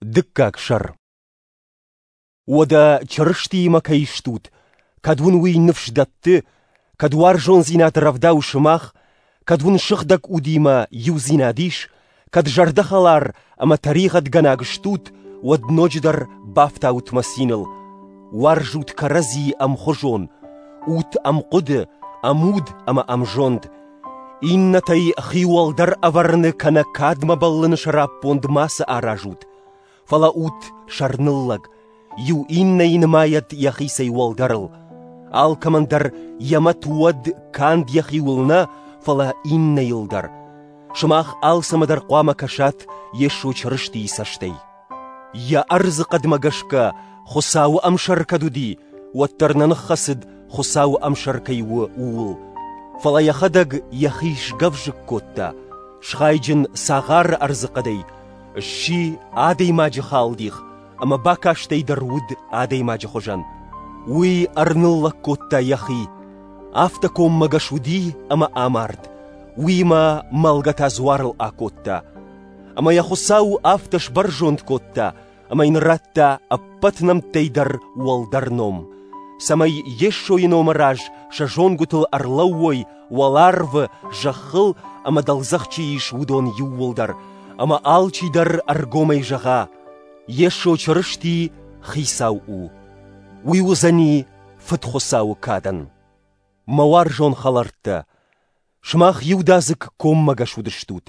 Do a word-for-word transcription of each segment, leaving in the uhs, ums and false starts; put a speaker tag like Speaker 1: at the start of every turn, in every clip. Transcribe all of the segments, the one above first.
Speaker 1: Дыккаг сӕр. Уӕдӕ Чырыстиимӕ кӕй стут, кӕд уын уый ныфс дӕтты, кӕд уарзондзинад рӕвдауы сымах, кӕд уын сыгъдӕг удимӕ иудзинад ис, кӕд зӕрдӕхӕлар ӕмӕ тӕригъӕдгӕнаг стут, уӕд ноджыдӕр бафтаут мӕ циныл. Уарзут кӕрӕдзийы ӕмхуызон, ут ӕмхъуыды, ӕмуд ӕмӕ ӕмзонд. Иннӕтӕй хи уӕлдӕр ӕвӕрыны кӕнӕ кадмӕ бӕллыны сӕраппонд мацы аразут, фӕлӕ ут сӕрныллӕг, иу иннӕйы нымайӕд йӕхицӕй уӕлдӕрыл. Алкӕмӕн дӕр йӕ мӕт уӕд канд йӕхиуыл нӕ, фӕлӕ иннӕйыл дӕр. Сымах алцӕмӕ дӕр хъуамӕ кӕсат Йесо Чырыстийы цӕстӕй. Йӕ ӕрдзы хъӕдмӕ гӕсгӕ Хуыцауы ӕмсӕр кӕд уыди, уӕддӕр нӕ ныххӕцыд Хуыцауы ӕмсӕр кӕй у, ууыл. Фӕлӕ йӕхӕдӕг йӕхи сгӕвзыкк кодта, схайджын цагъары ӕрдзыхъӕдӕй, сси адӕймаджы халдих ӕмӕ бакастӕй дӕр уыд адӕймаджы хуызӕн. Уый ӕрныллӕг кодта йӕхи, афтӕ коммӕгӕс уыди ӕмӕ амард, уыимӕ мӕлгӕ та дзуарыл акодта. Ӕмӕ йӕ Хуыцау афтӕ сбӕрзонд кодта, ӕмӕ йын радта ӕппӕт нӕмттӕй дӕр уӕлдӕр ном, цӕмӕй Йесойы номы раз сӕ зонгуытыл ӕрлӕууой уӕларвы, зӕххыл ӕмӕ дӕлдзӕх чи ис, уыдон иууылдӕр, ӕмӕ алчидӕр ӕргомӕй зӕгъа: Йесо Чырысти Хицау у. Уый уыдзӕни Фыд Хуыцауы кадӕн. Мӕ уарзон хӕлӕрттӕ, сымах иудадзыг коммӕгӕс уыдыстут.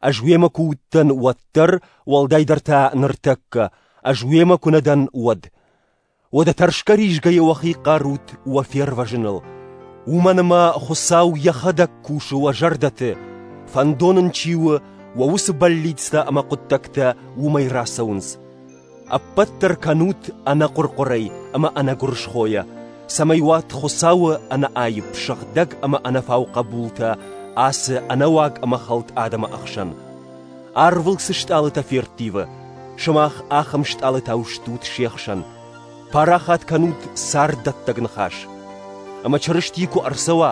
Speaker 1: Ӕз уемӕ куы уыдтӕн, уӕддӕр, уӕлдайдӕр та ныртӕккӕ, ӕз уемӕ куы нӕ дӕн, уӕд. Уӕдӕ тӕрсгӕ-ризгӕйӕ уӕхи хъарут уӕ фервӕзыныл. Уымӕн ӕмӕ Хуыцау йӕхӕдӕг кусы уӕ зӕрдӕты, фӕндон ын чи у, уӕ уыцы бӕллицтӕ ӕмӕ хъуыддӕгтӕ уымӕй рацӕуынц. Ӕппӕт дӕр кӕнут ӕнӕхъуыр-хъуырӕй ӕмӕ ӕнӕгуырысхойӕ, цӕмӕй уат Хуыцауы ӕнӕаипп, сыгъдӕг ӕмӕ ӕнӕфау хъӕбултӕ ацы ӕнӕуаг ӕмӕ хӕлд адӕмы ӕхсӕн. Арвыл цы стъалытӕ ферттивы, сымах ахӕм стъалытау стут се хсӕн. Парахат кӕнут царддӕттӕг ныхас. Ӕмӕ Чырысти куы ӕрцӕуа,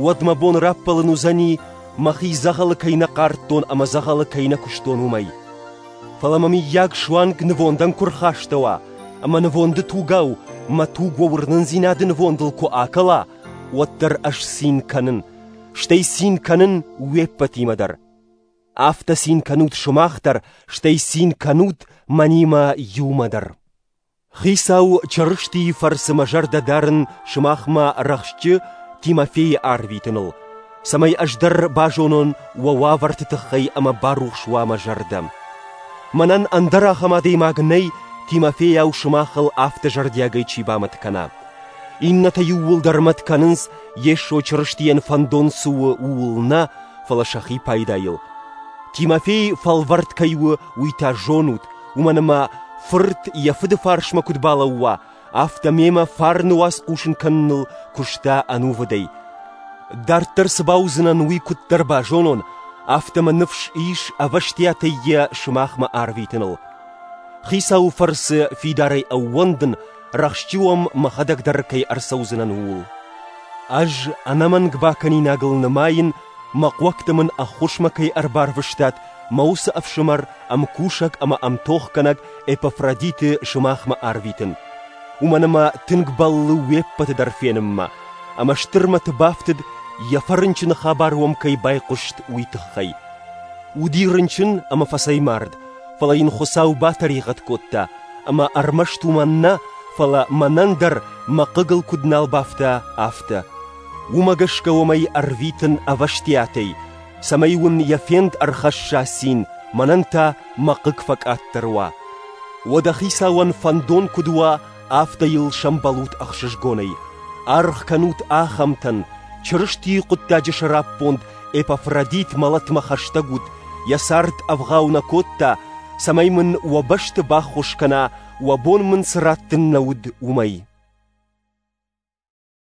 Speaker 1: уӕд мӕ бон раппӕлын уыдзӕни, мӕхи дзӕгъӕлы кӕй нӕ хъардтон ӕмӕ дзӕгъӕлы кӕй нӕ куыстон, уымӕй. Фӕлӕ мӕ мыййаг суанг нывондӕн куы рхастӕуа, ӕмӕ нывонды тугау мӕ туг уӕ уырнындзинады нывондыл куы акӕла, уӕддӕр ӕз цин кӕнын, стӕй цин кӕнын уе ппӕтимӕ дӕр. Афтӕ цин кӕнут сымах дӕр, стӕй цин кӕнут мӕнимӕ иумӕ дӕр. Хицау Чырыстийы фӕрцы мӕ зӕрдӕ дарын сымахмӕ рӕхджы Тимофейы арвитыныл, цӕмӕй ӕз дӕр базонон уӕ уавӕрты тыххӕй ӕмӕ барухс уа мӕ зӕрдӕ. Мӕнӕн ӕндӕр ахӕм адӕймаг нӕй, Тимофейау сымахыл афтӕ зӕрдиагӕй чи бамӕт кӕна. Иннӕтӕ иууылдӕр мӕт кӕнынц, Йесо Чырыстийӕн фӕндон цы у, ууыл нӕ, фӕлӕ сӕхи пайдайыл. Тимофей фӕлвӕрд кӕй у, уый та зонут, уымӕн ӕмӕ фырт йӕ фыды фарсмӕ куыд балӕууа, афтӕ мемӕ фарны уац хъусын кӕныныл куыста ӕнувыдӕй. Дарддӕр цы бауыдзынӕн, уый куыддӕр базонон, афтӕ мӕ ныфс ис ӕвӕстиатӕй йӕ сымахмӕ арвитыныл. Хицауы фӕрцы фидарӕй ӕууӕндын, рӕхджы уӕм мӕхӕдӕг дӕр кӕй ӕрцӕудзынӕн, ууыл. Ӕз ӕнӕмӕнг бакӕнинагыл нымайын, мӕ хъуӕгты мын ӕххуысмӕ кӕй ӕрбарвыстат, мӕ уыцы ӕфсымӕр, ӕмкусӕг ӕмӕ ӕмтохгӕнӕг Эпафродиты сымахмӕ арвитын. Уымӕн ӕмӕ тынг бӕллы уе ппӕты дӕр фенынмӕ, ӕмӕ стыр мӕты бафтыд, йӕ фӕрынчыны хабар уӕм кӕй байхъуыст, уый тыххӕй. Уыди рынчын ӕмӕ фӕцӕймард, фӕлӕ йын Хуыцау батӕригъӕд кодта, ӕмӕ ӕрмӕст уымӕн нӕ, фӕлӕ мӕнӕн дӕр мӕ хъыгыл куыд нал бафта, афтӕ. Уымӕ гӕсгӕ уӕм ӕй ӕрвитын ӕвӕстиатӕй, цӕмӕй уын йӕ фенд ӕрхӕсса цин, мӕнӕн та мӕ хъыг фӕкъаддӕр уа. Уӕдӕ Хицауӕн фӕндон куыд уа, афтӕ йыл сӕмбӕлут ӕхсызгонӕй. Аргъ кӕнут ахӕмтӕн, Чырыстийы хъуыддаджы сӕраппонд Эпафродит мӕлӕтмӕ хӕстӕг уыд, йӕ цард ӕвгъау нӕ кодта, цӕмӕй мын уӕ бӕсты баххуыс кӕна, уӕ бон мын цы раттын нӕ уыд, уымӕй.